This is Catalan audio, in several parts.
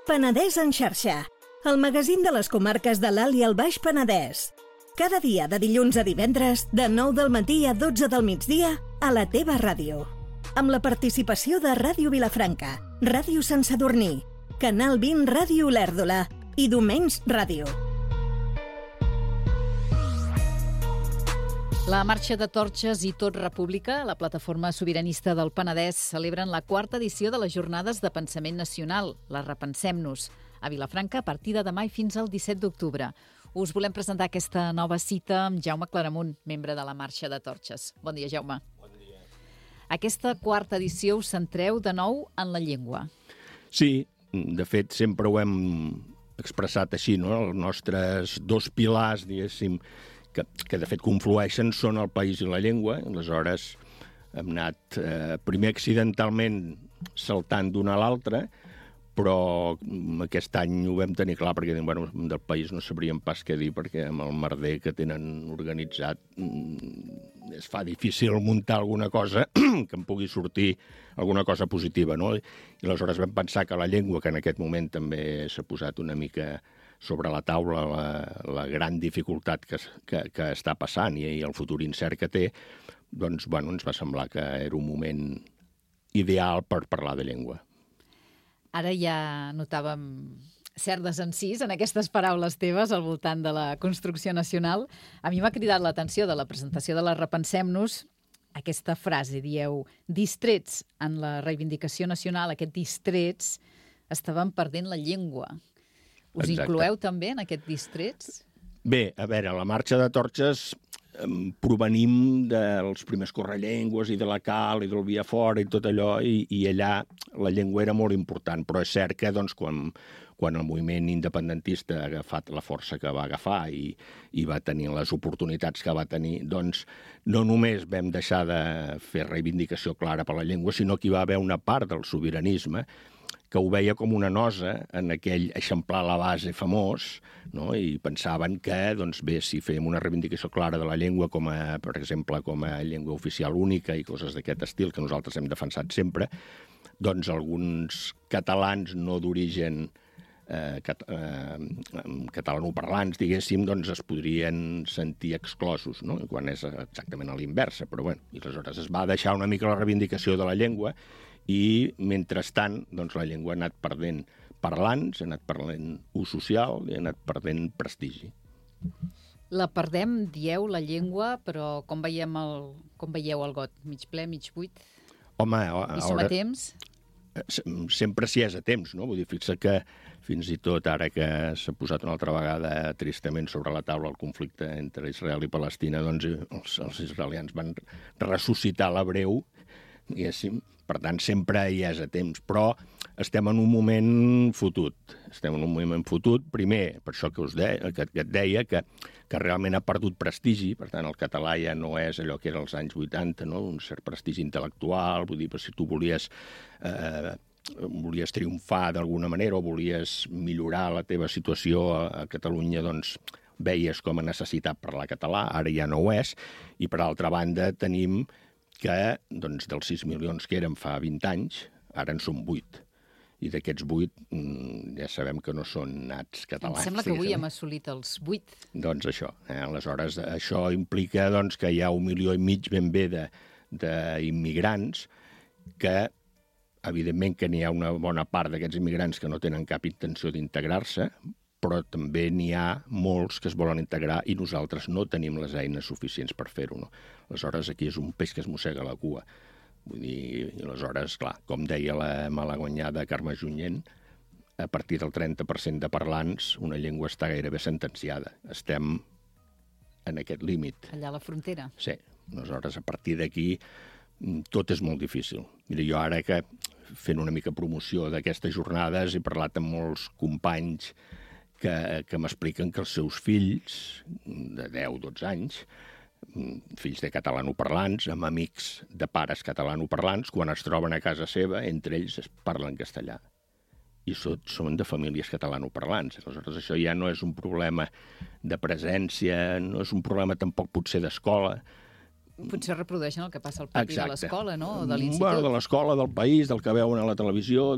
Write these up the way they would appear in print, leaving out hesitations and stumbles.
Penedès en xarxa, el magazín de les comarques de l'Alt i el Baix Penedès. Cada dia de dilluns a divendres, de 9 del matí a 12 del migdia, a la teva ràdio. Amb la participació de Ràdio Vilafranca, Ràdio Sant Sadurní, Canal 20 Ràdio Olèrdola i Domenys Ràdio. La Marxa de Torxes i Tot República, la plataforma sobiranista del Penedès, celebren la 4ª edició de les Jornades de Pensament Nacional, la Repensem-nos, a Vilafranca a partir de demà i fins al 17 d'octubre. Us volem presentar aquesta nova cita amb Jaume Claramunt, membre de la Marxa de Torxes. Bon dia, Jaume. Bon dia. Aquesta 4ª edició us centreu de nou en la llengua. Sí, de fet, sempre ho hem expressat així, no? Els nostres dos pilars, diguéssim, que de fet conflueixen són el país i la llengua. Aleshores hem anat primer accidentalment saltant d'una a l'altra, però aquest any ho vam tenir clar perquè del país no sabríem pas què dir, perquè amb el merder que tenen organitzat es fa difícil muntar alguna cosa que en pugui sortir alguna cosa positiva, no? I aleshores vam pensar que la llengua, que en aquest moment també s'ha posat una mica sobre la taula la gran dificultat que està passant i el futur incert que té, doncs, ens va semblar que era un moment ideal per parlar de llengua. Ara ja notàvem cert desencís en aquestes paraules teves al voltant de la construcció nacional. A mi m'ha cridat l'atenció de la presentació de la Repensem-nos aquesta frase, dieu, distrets en la reivindicació nacional, aquest distrets, estaven perdent la llengua. Us Exacte. Incloeu també en aquest distrets? Bé, a veure, la Marxa de Torxes provenim dels primers correllengües i de la Cal i del Via Fora i tot allò, i allà la llengua era molt important, però és cert que doncs, quan el moviment independentista ha agafat la força que va agafar i va tenir les oportunitats que va tenir, doncs no només vam deixar de fer reivindicació clara per la llengua, sinó que hi va haver una part del sobiranisme que ho veia com una nosa en aquell eixamplar la base famós, no? I pensaven que, doncs bé, si fèiem una reivindicació clara de la llengua, per exemple, com a llengua oficial única i coses d'aquest estil que nosaltres hem defensat sempre, doncs alguns catalans no d'origen catalanoparlants, diguéssim, doncs es podrien sentir exclosos, no? Quan és exactament a l'inversa, però bueno, i aleshores es va deixar una mica la reivindicació de la llengua i, mentrestant, doncs la llengua ha anat perdent parlants, ha anat perdent ús social i ha anat perdent prestigi. La perdem, dieu, la llengua, però com veieu el got? Mig ple, mig buit? Home, I som a temps? Sempre s'hi és a temps, no? Vull dir, fixa que fins i tot ara que s'ha posat una altra vegada tristament sobre la taula el conflicte entre Israel i Palestina, doncs els israelians van ressuscitar l'hebreu, diguéssim. Per tant, sempre hi és a temps, però estem en un moment fotut. Primer, per això que et deia, que realment ha perdut prestigi, per tant, el català ja no és allò que era als anys 80, no? Un cert prestigi intel·lectual, vull dir, si tu volies triomfar d'alguna manera o volies millorar la teva situació a Catalunya, doncs veies com a necessitat parlar català, ara ja no ho és, i per altra banda tenim que doncs, dels 6 milions que érem fa 20 anys, ara en són 8. I d'aquests 8 ja sabem que no són nats catalans. Em sembla que avui hem assolit els 8. Doncs això. Aleshores, això implica doncs, que hi ha 1,5 milions ben bé d'immigrants que, evidentment, que n'hi ha una bona part d'aquests immigrants que no tenen cap intenció d'integrar-se, però també n'hi ha molts que es volen integrar i nosaltres no tenim les eines suficients per fer-ho. No? Aleshores, aquí és un peix que es mossega la cua. Vull dir, i aleshores, clar, com deia la malaguanyada Carme Junyent, a partir del 30% de parlants una llengua està gairebé sentenciada. Estem en aquest límit. Allà a la frontera. Sí. Aleshores, a partir d'aquí, tot és molt difícil. Mira, jo ara que fent una mica promoció d'aquestes jornades he parlat amb molts companys que m'expliquen que els seus fills de 10-12 anys, fills de catalanoparlants, amb amics de pares catalanoparlants, quan es troben a casa seva, entre ells es parlen castellà. I són de famílies catalanoparlants. Aleshores, això ja no és un problema de presència, no és un problema tampoc potser d'escola. Potser reprodueixen el que passa al pati de l'escola, no? O de l'institut. Bueno, de l'escola, del país, del que veuen a la televisió,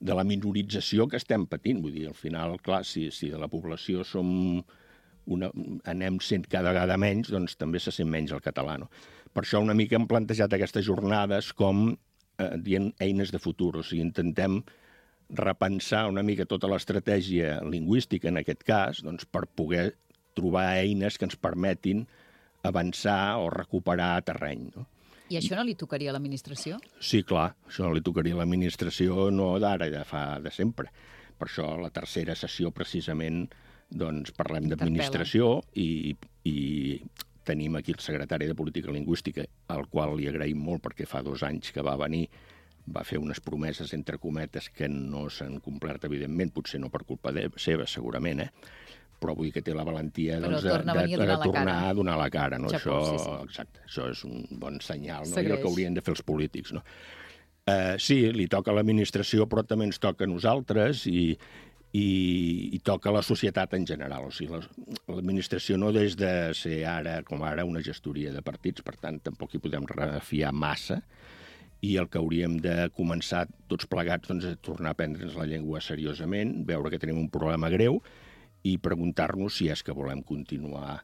de la minorització que estem patint. Vull dir, al final, clar, si de la població anem sent cada vegada menys, doncs també se sent menys el català, no? Per això una mica hem plantejat aquestes jornades com dient eines de futur, o sigui, intentem repensar una mica tota l'estratègia lingüística, en aquest cas, doncs, per poder trobar eines que ens permetin avançar o recuperar terreny, no? I això no li tocaria a l'administració? Sí, clar, això no li tocaria a l'administració no d'ara, de sempre. Per això la tercera sessió, precisament, doncs parlem d'administració i tenim aquí el secretari de Política Lingüística, al qual li agraïm molt perquè fa 2 anys que va venir, va fer unes promeses, entre cometes, que no s'han complert, evidentment, potser no per culpa seva, segurament, però vull dir que té la valentia de tornar a donar la cara. No? Exacte, això és un bon senyal, no? I el que haurien de fer els polítics. No? Sí, li toca a l'administració, però també ens toca a nosaltres i toca a la societat en general. O sigui, l'administració no des de ser com ara una gestoria de partits, per tant, tampoc hi podem refiar massa, i el que hauríem de començar tots plegats doncs, a tornar a aprendre'ns la llengua seriosament, veure que tenim un problema greu, i preguntar-nos si és que volem continuar,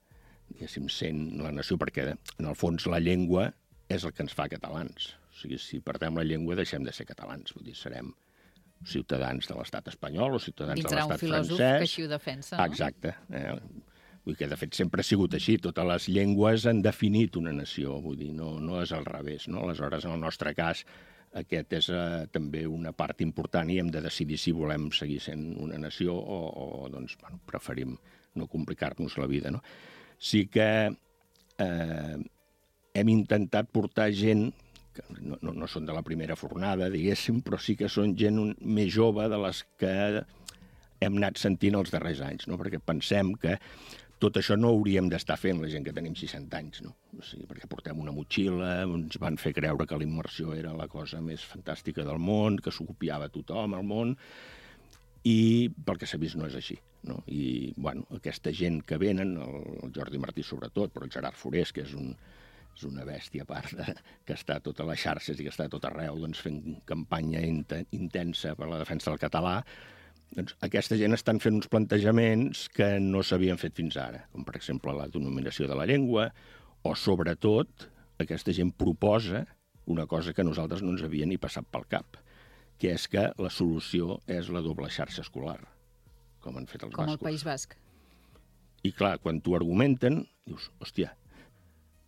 diguéssim, sent la nació, perquè en el fons la llengua és el que ens fa catalans. O sigui, si perdem la llengua deixem de ser catalans, vull dir, serem ciutadans de l'estat espanyol o ciutadans de l'estat francès. Vindrà un filòsof que així ho defensa, no? Exacte. Vull dir que, de fet, sempre ha sigut així. Totes les llengües han definit una nació, vull dir, no és al revés, no? Aleshores, en el nostre cas, aquest és també una part important i hem de decidir si volem seguir sent una nació o doncs, bueno, preferim no complicar-nos la vida, no? Sí que hem intentat portar gent, que no són de la primera fornada, diguéssim, però sí que són gent més jove de les que hem anat sentint els darrers anys, no? Perquè pensem que tot això no hauríem d'estar fent la gent que tenim 60 anys, no? O sigui, perquè portem una motxilla, ens van fer creure que la immersió era la cosa més fantàstica del món, que s'ho copiava tothom al món, i pel que s'ha vist no és així, no? I, bueno, aquesta gent que venen, el Jordi Martí sobretot, però el Gerard Forés, que és una bèstia a part, que està a totes les xarxes i que està a tot arreu, doncs, fent campanya intensa per la defensa del català, doncs aquesta gent estan fent uns plantejaments que no s'havien fet fins ara, com per exemple la denominació de la llengua, o sobretot aquesta gent proposa una cosa que a nosaltres no ens havia ni passat pel cap, que és que la solució és la doble xarxa escolar, com han fet els bascos. Com al País Basc. I clar, quan t'ho argumenten, dius, hòstia,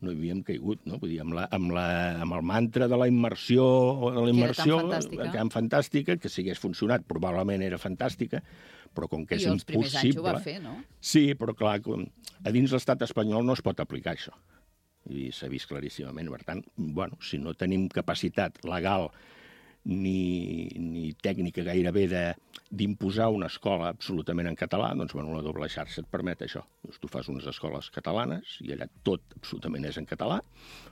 no hi havíem caigut, no? Vull dir, amb el mantra de la immersió, que era tan fantàstica, que si hagués funcionat probablement era fantàstica, però com que és impossible... I els primers anys ho va fer, no? Sí, però clar, a dins l'estat espanyol no es pot aplicar això. I s'ha vist claríssimament. Per tant, bueno, si no tenim capacitat legal ni tècnica gairebé d'imposar una escola absolutament en català, doncs bueno, la doble xarxa et permet això. Tu fas unes escoles catalanes i allà tot absolutament és en català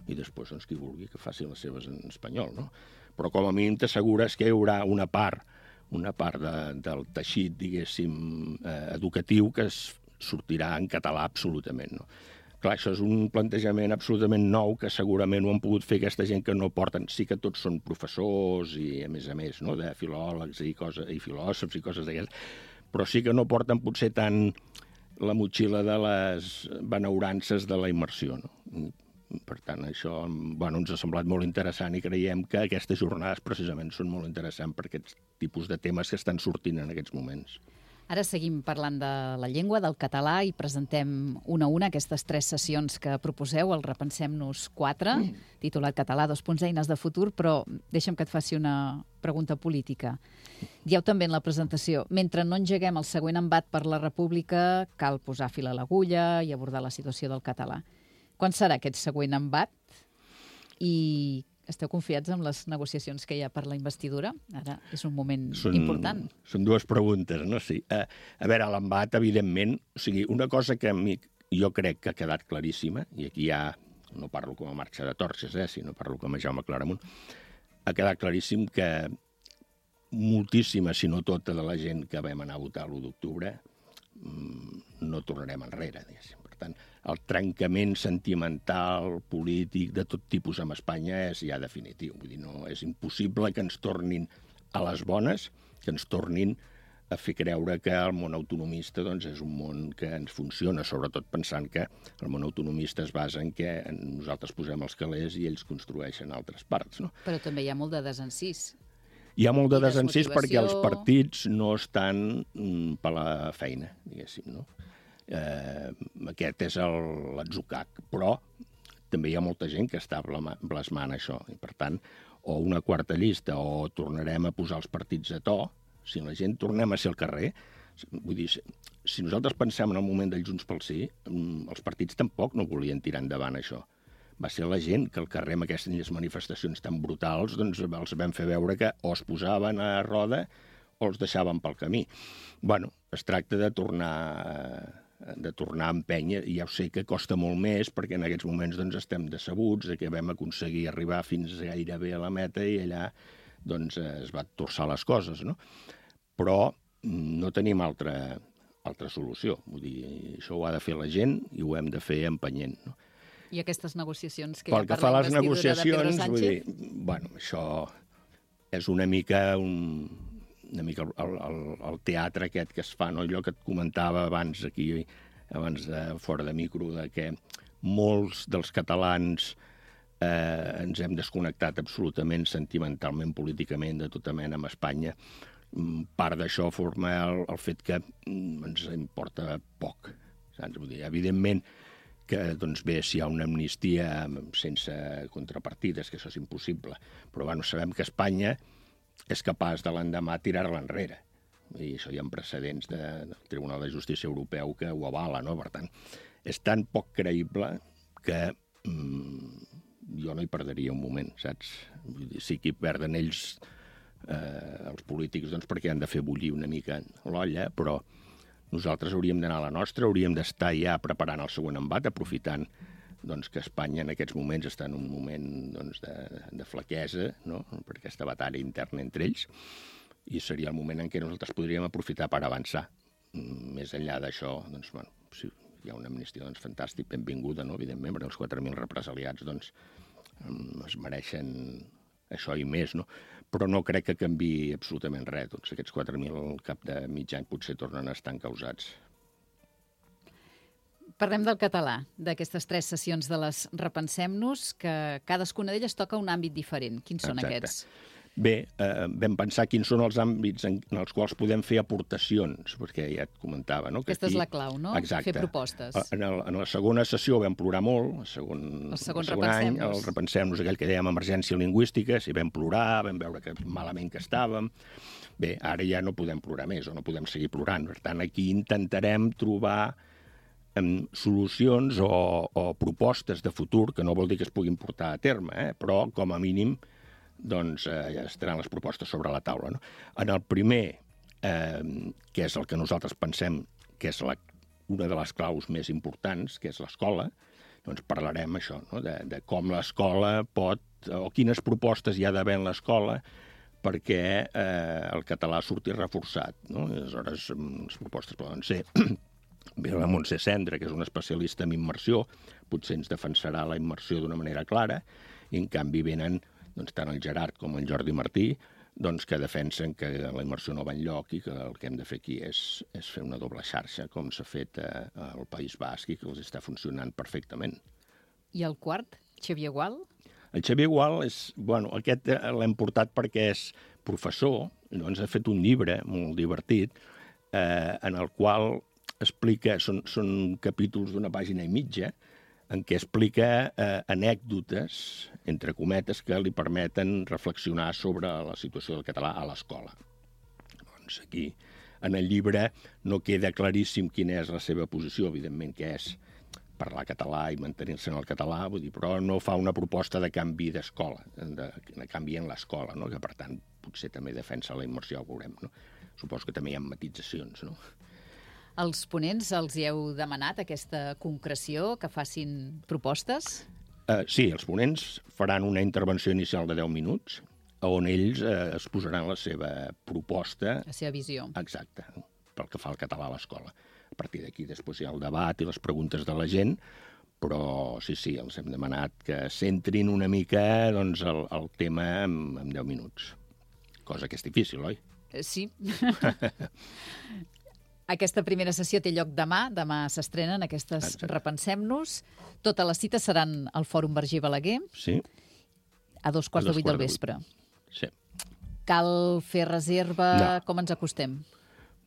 i després doncs, qui vulgui que faci les seves en espanyol, no? Però com a mínim t'assegures que hi haurà una part del teixit, diguéssim, educatiu que sortirà en català absolutament, no? Clar, això és un plantejament absolutament nou que segurament ho han pogut fer aquesta gent que no porten... Sí que tots són professors i, a més, no? De filòlegs i filòsofs i coses d'aquestes, però sí que no porten potser tant la motxilla de les benaurances de la immersió, no? Per tant, això ens ha semblat molt interessant i creiem que aquestes jornades precisament són molt interessants per aquests tipus de temes que estan sortint en aquests moments. Ara seguim parlant de la llengua, del català, i presentem una a una aquestes 3 sessions que proposeu, el Repensem-nos 4, titulat Català, eines de futur, però deixa'm que et faci una pregunta política. Dieu també en la presentació, mentre no engeguem el següent embat per la República, cal posar fil a l'agulla i abordar la situació del català. Quan serà aquest següent embat? I esteu confiats en les negociacions que hi ha per la investidura? Ara és un moment important. Són 2 preguntes, no? Sí. A veure, l'embat, evidentment, o sigui, una cosa que jo crec que ha quedat claríssima, i aquí ja no parlo com a marxa de torxes, sinó parlo com a Jaume Claramunt, ha quedat claríssim que moltíssima, si no tota, de la gent que vam anar a votar l'1 d'octubre no tornarem enrere, diguéssim. Per tant, el trencament sentimental, polític, de tot tipus amb Espanya és ja definitiu. Vull dir, no és impossible que ens tornin a les bones, que ens tornin a fer creure que el món autonomista doncs, és un món que ens funciona, sobretot pensant que el món autonomista es basa en que nosaltres posem els calés i ells construeixen altres parts. No? Però també hi ha molt de desencís. Hi ha molt de desencís desmotivació. perquè els partits no estan per la feina, diguéssim. No? Aquest és l'atzucac, però també hi ha molta gent que està blasmant això. I, per tant, o una quarta llista o tornarem a posar els partits a to. Si la gent tornem a ser al carrer, vull dir, si nosaltres pensem en el moment del Junts pel Sí, els partits tampoc no volien tirar endavant això. Va ser la gent que al carrer amb aquestes manifestacions tan brutals doncs els vam fer veure que o es posaven a roda o els deixaven pel camí. Bueno, es tracta de tornar a empènyer, i ja ho sé que costa molt més perquè en aquests moments doncs, estem decebuts de que vam aconseguir arribar fins gairebé a la meta i allà doncs, es va torçar les coses, no? Però no tenim altra solució. Vull dir, això ho ha de fer la gent i ho hem de fer empenyent. No? I aquestes negociacions que pel hi ha que fa a les negociacions, de Pedro Sánchez? vull dir, bueno, això és una mica el teatre aquest que es fa, no? Allò que et comentava abans fora de micro, de que molts dels catalans ens hem desconnectat absolutament sentimentalment, políticament, de tota mena amb Espanya. Part d'això forma el fet que ens importa poc. Saps? Vull dir, evidentment que, doncs bé, si hi ha una amnistia sense contrapartides, que això és impossible, però bueno, sabem que Espanya és capaç de l'endemà tirar-la enrere. I això hi ha precedents del Tribunal de Justícia Europeu que ho avala, no? Per tant, és tan poc creïble que jo no hi perderia un moment, saps? Vull dir, sí que hi perden ells, els polítics, doncs perquè han de fer bullir una mica l'olla, però nosaltres hauríem d'anar a la nostra, hauríem d'estar ja preparant el següent embat, aprofitant doncs, que Espanya en aquests moments està en un moment doncs, de flaquesa, no? Per aquesta batalla interna entre ells, i seria el moment en què nosaltres podríem aprofitar per avançar. Més enllà d'això, doncs, bueno, si hi ha una amnistia, doncs, fantàstic, benvinguda, no? Evidentment, perquè els 4.000 represaliats doncs, es mereixen això i més, no? Però no crec que canviï absolutament res. Doncs aquests 4.000 al cap de mig any potser tornen a estar encausats. Parlem del català, d'aquestes 3 sessions de les Repensem-nos, que cadascuna d'elles toca un àmbit diferent. Quins són aquests? Bé, vam pensar quins són els àmbits en els quals podem fer aportacions, perquè ja et comentava, no? Aquesta és la clau, no? Exacte. Fer propostes. En la segona sessió vam plorar molt, el segon any, el Repensem-nos, aquell que dèiem emergència lingüística, si vam plorar, vam veure que malament que estàvem. Bé, ara ja no podem plorar més, o no podem seguir plorant. Per tant, aquí intentarem trobar solucions o propostes de futur, que no vol dir que es puguin portar a terme, però com a mínim doncs ja estaran les propostes sobre la taula. No? En el primer, que és el que nosaltres pensem que és una de les claus més importants, que és l'escola, doncs parlarem això, no? de com l'escola pot, o quines propostes hi ha d'haver en l'escola perquè el català surti reforçat. No? I aleshores, les propostes poden ser ve la Montse Cendra, que és una especialista en immersió, potser ens defensarà la immersió d'una manera clara, i en canvi venen doncs, tant el Gerard com el Jordi Martí, doncs, que defensen que la immersió no va enlloc i que el que hem de fer aquí és fer una doble xarxa, com s'ha fet al País Basc i que els està funcionant perfectament. I el quart, Xavier Gual? El Xavier Gual, aquest l'hem portat perquè és professor, doncs ha fet un llibre molt divertit en el qual explica, són capítols d'una pàgina i mitja, en què explica anècdotes, entre cometes, que li permeten reflexionar sobre la situació del català a l'escola. Doncs aquí, en el llibre, no queda claríssim quina és la seva posició, evidentment que és parlar català i mantenir-se en el català, vull dir, però no fa una proposta de canvi d'escola, de canvi en l'escola, no? Que per tant potser també defensa la immersió, ho veurem. No? Suposo que també hi ha matitzacions, no? Els ponents els hi heu demanat aquesta concreció, que facin propostes? Sí, els ponents faran una intervenció inicial de 10 minuts on ells es posaran la seva proposta. La seva visió. Exacte, pel que fa al català a l'escola. A partir d'aquí després hi ha el debat i les preguntes de la gent, però sí, els hem demanat que centrin una mica doncs, el tema en 10 minuts. Cosa que és difícil, oi? Sí. Aquesta primera sessió té lloc demà. Demà s'estrenen aquestes Repensem-nos. Totes les cites seran al Fòrum Verger Balaguer. Sí. A 2:15 del vespre. Sí. Cal fer reserva? No. Com ens acostem?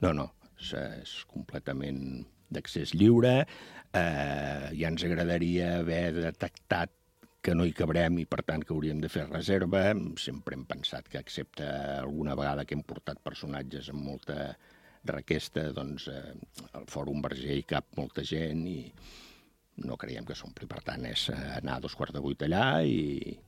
No. És completament d'accés lliure. Ja ens agradaria haver detectat que no hi cabrem i, per tant, que hauríem de fer reserva. Sempre hem pensat que, excepte alguna vegada que hem portat personatges amb molta requesta, doncs al Fòrum Verger hi cap molta gent i no creiem que s'ompli. Per tant, és anar a 7:15 allà i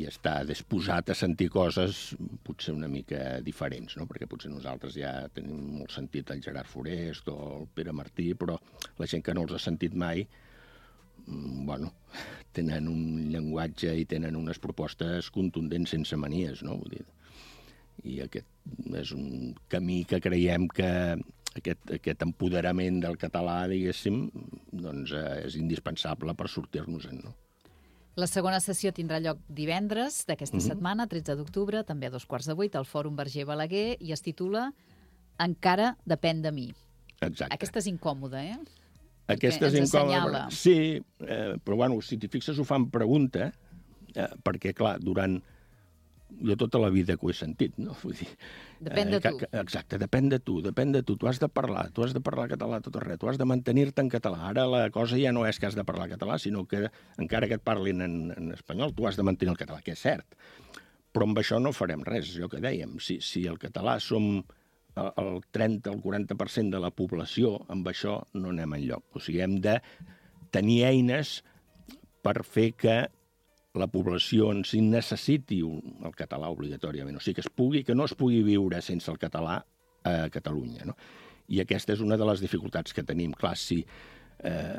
estar disposat a sentir coses potser una mica diferents, no? Perquè potser nosaltres ja tenim molt sentit el Gerard Forest o el Pere Martí, però la gent que no els ha sentit mai, bueno, tenen un llenguatge i tenen unes propostes contundents sense manies, no? Vull dir, i aquest és un camí que creiem que aquest empoderament del català, diguéssim, doncs és indispensable per sortir-nos-en, no? La segona sessió tindrà lloc divendres d'aquesta setmana, 13 d'octubre, també a 7:15, al Fòrum Verger Balaguer, i es titula Encara depèn de mi. Exacte. Aquesta és incòmoda, eh? Aquesta és incòmoda. Sí, però bueno, si t'hi fixes ho fan pregunta, perquè, clar, jo tota la vida que ho he sentit, no? Vull dir, depèn de tu. Exacte, depèn de tu. Tu has de parlar català tot arreu, tu has de mantenir-te en català. Ara la cosa ja no és que has de parlar català, sinó que encara que et parlin en espanyol, tu has de mantenir el català, que és cert. Però amb això no farem res, és allò que dèiem. Si el català som el 30 o el 40% de la població, amb això no anem enlloc. O sigui, hem de tenir eines per fer que la població en si necessiti el català obligatòriament. O sigui, que no es pugui viure sense el català a Catalunya, no? I aquesta és una de les dificultats que tenim. Clar, si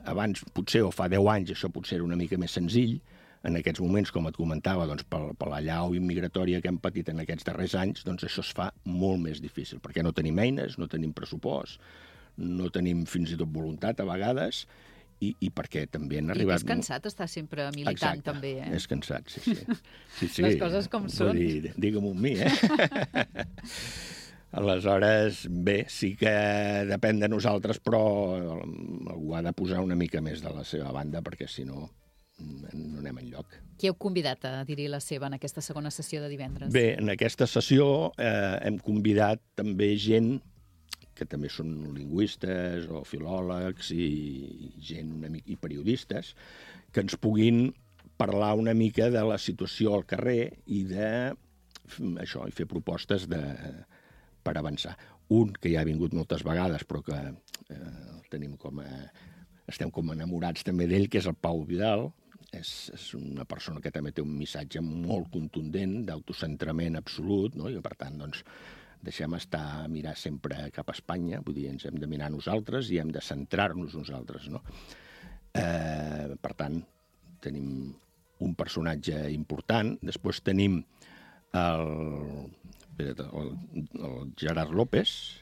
abans, potser, o fa 10 anys, això potser era una mica més senzill, en aquests moments, com et comentava, doncs, per l'allau immigratòria que hem patit en aquests darrers anys, doncs això es fa molt més difícil, perquè no tenim eines, no tenim pressupost, no tenim fins i tot voluntat a vegades, i perquè també han arribat... I és cansat estar sempre militant. Exacte, també, És cansat, sí. Les coses com són. Digue-m'ho amb mi, Aleshores, bé, sí que depèn de nosaltres, però algú ha de posar una mica més de la seva banda, perquè si no no anem enlloc. Qui heu convidat a dir-hi la seva en aquesta segona sessió de divendres? Bé, en aquesta sessió hem convidat també gent que també són lingüistes o filòlegs i gent i periodistes que ens puguin parlar una mica de la situació al carrer i això, i fer propostes per avançar. Un que ja ha vingut moltes vegades, però que estem com enamorats també d'ell, que és el Pau Vidal. És una persona que també té un missatge molt contundent d'autocentrament absolut, no? I per tant, doncs, deixem mirar sempre cap a Espanya, vull dir, ens hem de mirar nosaltres i hem de centrar-nos nosaltres, no? Per tant, tenim un personatge important. Després tenim el Gerard López,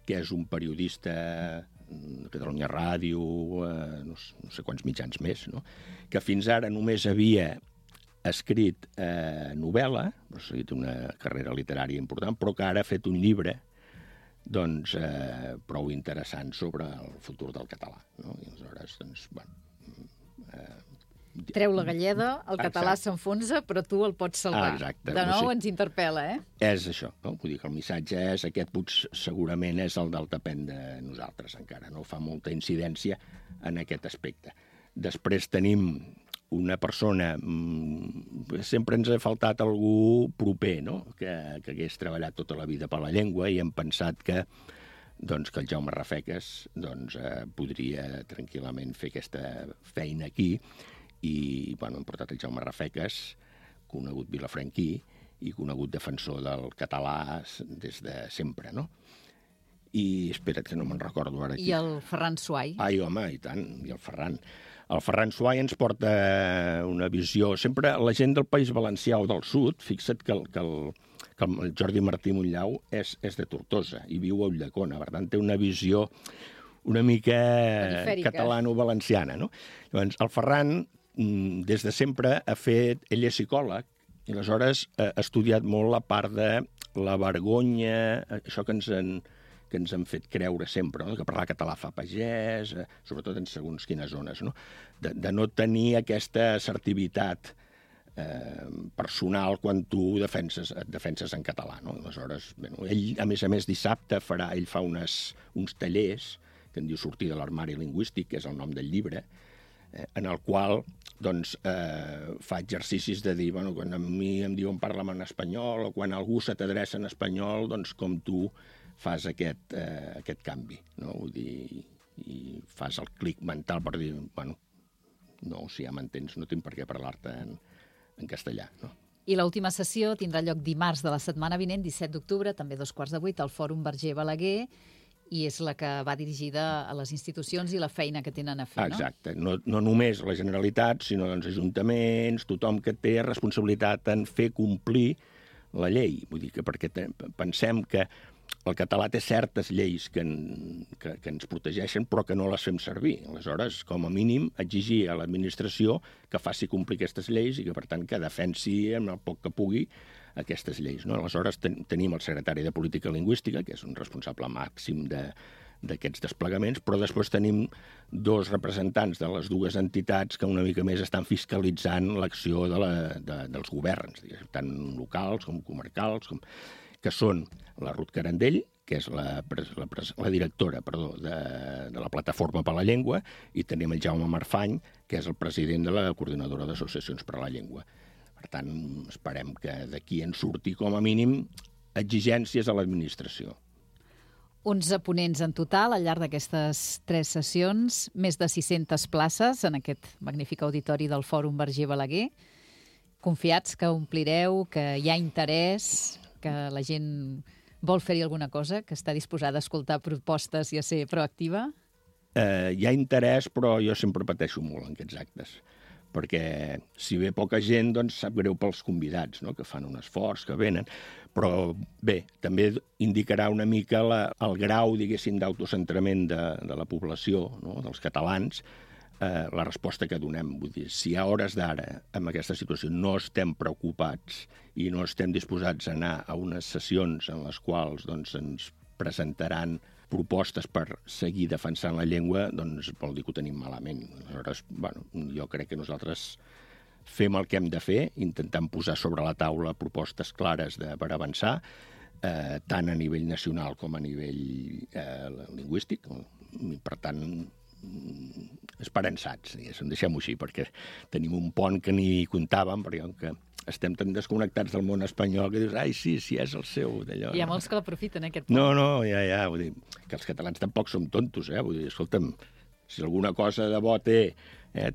que és un periodista de Catalunya Ràdio, no sé quants mitjans més, no? Que fins ara només havia escrit novel·la, o sigui, té una carrera literària important, però que ara ha fet un llibre doncs, prou interessant sobre el futur del català, no? I aleshores, doncs, bueno... Treu la galleda, el català s'enfonsa, però tu el pots salvar. Exacte. De nou ens interpel·la, És això, no? Vull dir que el missatge és aquest, segurament és el del depèn de nosaltres encara, no? Fa molta incidència en aquest aspecte. Després tenim una persona, sempre ens ha faltat algú proper, no? Que hagués treballat tota la vida per la llengua i hem pensat que el Jaume Rafeques podria tranquil·lament fer aquesta feina aquí. I hem portat el Jaume Rafeques, conegut vilafranquí i conegut defensor del català des de sempre, no? I espera't que no me'n recordo ara aquí. I el Ferran Suai. Ai, home, i tant, i el Ferran. El Ferran Suai ens porta una visió... Sempre la gent del País Valencià o del Sud, fixa't que el Jordi Martí Montllau és de Tortosa i viu a Ulldecona, per tant té una visió una mica catalano-valenciana, no? Llavors, el Ferran, des de sempre, ell és psicòleg, i aleshores ha estudiat molt la part de la vergonya, això que ens han fet creure sempre, no? Que parlar català fa pagès, sobretot en segons quines zones, no? De no tenir aquesta assertivitat personal quan tu et defenses en català, no? Aleshores, ell, a més, dissabte ell fa uns tallers que en diu Sortir de l'armari lingüístic, que és el nom del llibre, en el qual doncs, fa exercicis de dir, quan a mi em diuen parla'm en espanyol, o quan algú se t'adreça en espanyol, doncs com tu fas aquest canvi, no? Vull dir, i fas el clic mental per dir, no, si ja m'entens, no tinc per què parlar-te en castellà, no? I l'última sessió tindrà lloc dimarts de la setmana vinent, 17 d'octubre, també 2:15, al Fòrum Verger Balaguer, i és la que va dirigida a les institucions i la feina que tenen a fer, no? Exacte. No només la Generalitat, sinó els ajuntaments, tothom que té responsabilitat en fer complir la llei. Vull dir que perquè pensem que el català té certes lleis que ens protegeixen, però que no les fem servir. Aleshores, com a mínim, exigir a l'administració que faci complir aquestes lleis i que, per tant, que defensi amb el poc que pugui aquestes lleis, no? Aleshores, tenim el secretari de Política Lingüística, que és un responsable màxim d'aquests desplegaments, però després tenim 2 representants de les 2 entitats que una mica més estan fiscalitzant l'acció dels governs, tant locals com comarcals, que són la Ruth Carandell, que és la directora de la Plataforma per la Llengua, i tenim el Jaume Marfany, que és el president de la Coordinadora d'Associacions per la Llengua. Per tant, esperem que d'aquí en surti, com a mínim, exigències a l'administració. 11 ponents en total al llarg d'aquestes 3 sessions, més de 600 places en aquest magnífic auditori del Fòrum Verger Balaguer. Confiats que omplireu, que hi ha interès, que la gent vol fer-hi alguna cosa, que està disposada a escoltar propostes i a ser proactiva? Hi ha interès, però jo sempre pateixo molt en aquests actes, perquè si ve poca gent, doncs sap greu pels convidats, no? Que fan un esforç, que venen, però bé, també indicarà una mica el grau, diguéssim, d'autocentrament de la població, no? Dels catalans, la resposta que donem. Vull dir, si a hores d'ara, en aquesta situació, no estem preocupats i no estem disposats a anar a unes sessions en les quals doncs, ens presentaran propostes per seguir defensant la llengua, doncs vol dir que ho tenim malament. Aleshores, jo crec que nosaltres fem el que hem de fer, intentant posar sobre la taula propostes clares per avançar, tant a nivell nacional com a nivell lingüístic. Per tant, esperançats, deixem-ho així, perquè tenim un pont que ni comptàvem, perquè que estem tan desconnectats del món espanyol que dius, ai, sí, és el seu, d'allò. Hi ha molts que l'aprofiten, aquest pont. No, ja, vull dir, que els catalans tampoc som tontos, vull dir, escolta'm, si alguna cosa de bo té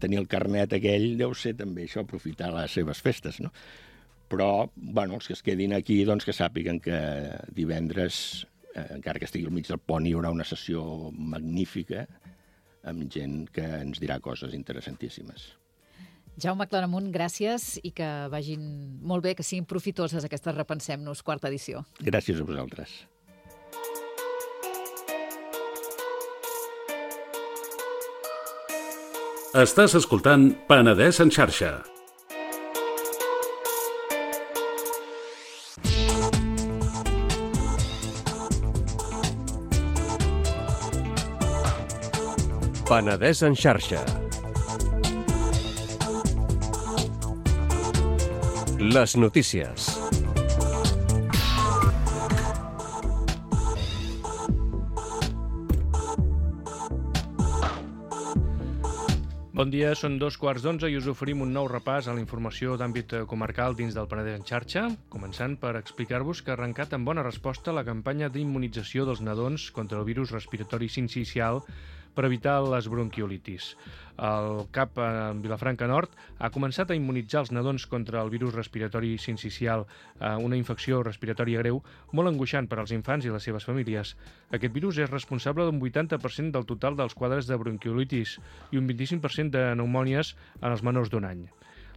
tenir el carnet aquell, deu ser també això, aprofitar les seves festes, no? Però, els que es quedin aquí, doncs que sàpiguen que divendres, encara que estigui al mig del pont, hi haurà una sessió magnífica amb gent que ens dirà coses interessantíssimes. Jaume Claramunt, gràcies i que vagin molt bé, que siguin profitoses aquestes Repensem-nos, 4ª edició. Gràcies a vosaltres. Estàs escoltant Penedès en xarxa. Penedès en xarxa. Les notícies. Bon dia, són 2:15 i us oferim un nou repàs a la informació d'àmbit comarcal dins del Penedès en xarxa, començant per explicar-vos que ha arrencat en bona resposta la campanya d'immunització dels nadons contra el virus respiratori sincicial per evitar les bronquiolitis. El CAP en Vilafranca Nord ha començat a immunitzar els nadons contra el virus respiratori sincicial, una infecció respiratòria greu molt angoixant per als infants i les seves famílies. Aquest virus és responsable d'un 80% del total dels quadres de bronquiolitis i un 25% de pneumònies en els menors d'un any.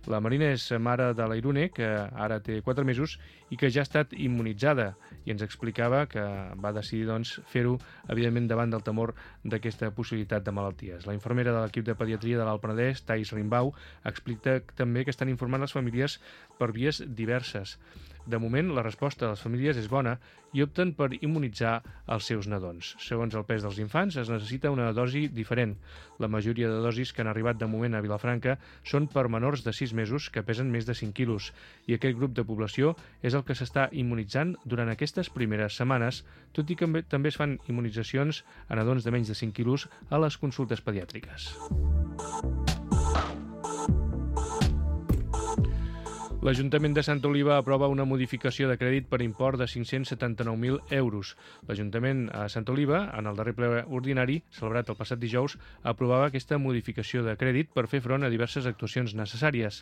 La Marina és mare de la Irune, que ara té 4 mesos i que ja ha estat immunitzada, i ens explicava que va decidir fer-ho, evidentment, davant del temor d'aquesta possibilitat de malalties. La infermera de l'equip de pediatria de l'Alt Penedès, Thais Rimbau, explica també que estan informant les famílies per vies diverses. De moment, la resposta de les famílies és bona i opten per immunitzar els seus nadons. Segons el pes dels infants, es necessita una dosi diferent. La majoria de dosis que han arribat de moment a Vilafranca són per menors de 6 mesos que pesen més de 5 quilos, i aquest grup de població és el que s'està immunitzant durant aquestes primeres setmanes, tot i que també es fan immunitzacions a nadons de menys de 5 quilos a les consultes pediàtriques. L'Ajuntament de Santa Oliva aprova una modificació de crèdit per import de 579.000 euros. L'Ajuntament a Santa Oliva, en el darrer ple ordinari, celebrat el passat dijous, aprovava aquesta modificació de crèdit per fer front a diverses actuacions necessàries.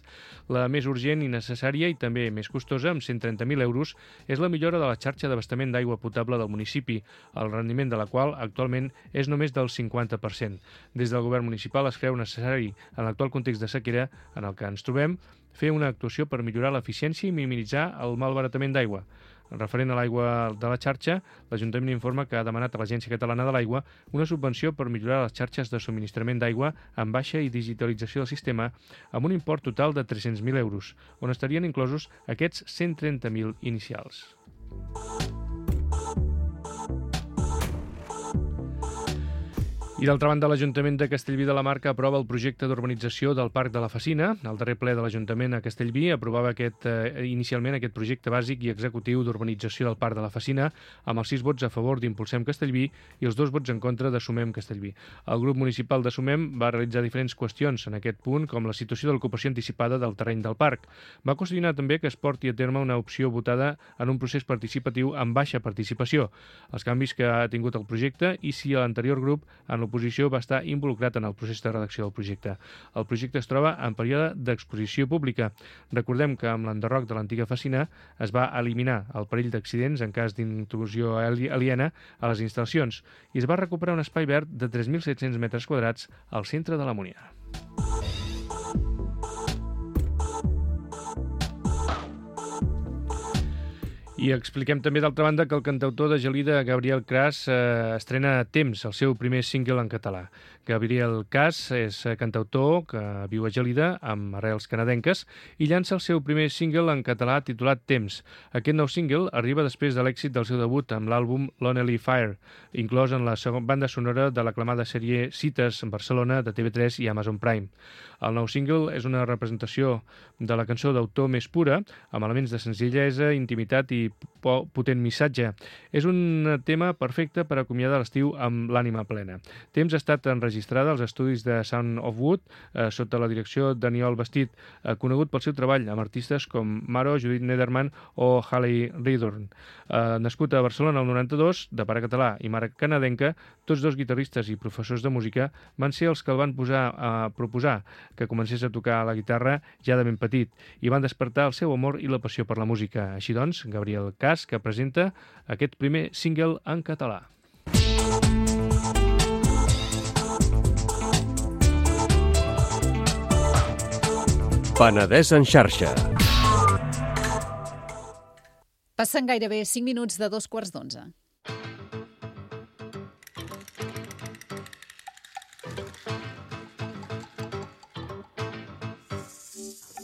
La més urgent i necessària i també més costosa, amb 130.000 euros, és la millora de la xarxa d'abastament d'aigua potable del municipi, el rendiment de la qual actualment és només del 50%. Des del govern municipal es creu necessari, en l'actual context de sequera en el que ens trobem, fer una actuació per millorar l'eficiència i minimitzar el malbaratament d'aigua. Referent a l'aigua de la xarxa, l'Ajuntament informa que ha demanat a l'Agència Catalana de l'Aigua una subvenció per millorar les xarxes de subministrament d'aigua amb baixa i digitalització del sistema amb un import total de 300.000 euros, on estarien inclosos aquests 130.000 inicials. I d'altra banda, l'Ajuntament de Castellví de la Marca aprova el projecte d'urbanització del Parc de la Facina. El darrer ple de l'Ajuntament a Castellví aprovava inicialment aquest projecte bàsic i executiu d'urbanització del Parc de la Facina amb els 6 vots a favor d'Impulsem Castellví i els 2 vots en contra de Sumem Castellví. El grup municipal de Sumem va realitzar diferents qüestions en aquest punt, com la situació de l'ocupació anticipada del terreny del parc. Va qüestionar també que es porti a terme una opció votada en un procés participatiu amb baixa participació, els canvis que ha tingut el projecte i si l'anterior grup en l'oposició va estar involucrat en el procés de redacció del projecte. El projecte es troba en període d'exposició pública. Recordem que amb l'enderroc de l'antiga Facina es va eliminar el perill d'accidents en cas d'intrusió aliena a les instal·lacions i es va recuperar un espai verd de 3.700 metres quadrats al centre de la Monia. I expliquem també, d'altra banda, que el cantautor de Gelida, Gabriel Cras, estrena Temps, el seu primer single en català. Gabriel Cras és cantautor que viu a Gelida, amb arrels canadenques, i llança el seu primer single en català titulat Temps. Aquest nou single arriba després de l'èxit del seu debut amb l'àlbum Lonely Fire, inclòs en la segona banda sonora de l'aclamada sèrie Cites en Barcelona de TV3 i Amazon Prime. El nou single és una representació de la cançó d'autor més pura, amb elements de senzillesa, intimitat i potent missatge. És un tema perfecte per acomiadar l'estiu amb l'ànima plena. Temps ha estat enregistrada als estudis de Sound of Wood sota la direcció d'Aniol Bastit, conegut pel seu treball amb artistes com Maro, Judith Nederman o Haley Ridorn. Nascut a Barcelona el 92, de pare català i mare canadenca, tots dos guitarristes i professors de música van ser els que el van proposar que comencés a tocar la guitarra ja de ben petit i van despertar el seu amor i la passió per la música. Així doncs, Gabriel Cras, que presenta aquest primer single en català. Penedès en xarxa. Passen gairebé 5 minuts de 2:15.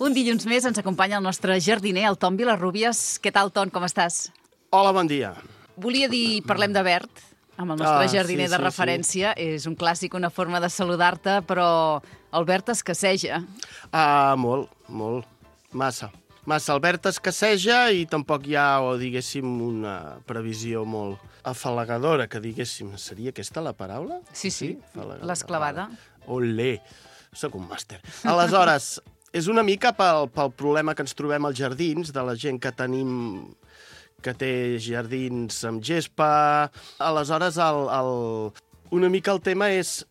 Un dilluns més ens acompanya el nostre jardiner, el Ton Vilarrubias. Què tal, Ton, com estàs? Hola, bon dia. Volia dir, parlem de verd, amb el nostre jardiner de referència. Sí. És un clàssic, una forma de saludar-te, però el verd escasseja. Molt. Massa. El verd escasseja i tampoc hi ha, diguéssim, una previsió molt afalagadora, que diguéssim, seria aquesta la paraula? Sí, l'esclavada. Olé, sóc un màster. Aleshores, és una mica pel problema que ens trobem als jardins, de la gent que tenim, que té jardins amb gespa. Aleshores, una mica el tema és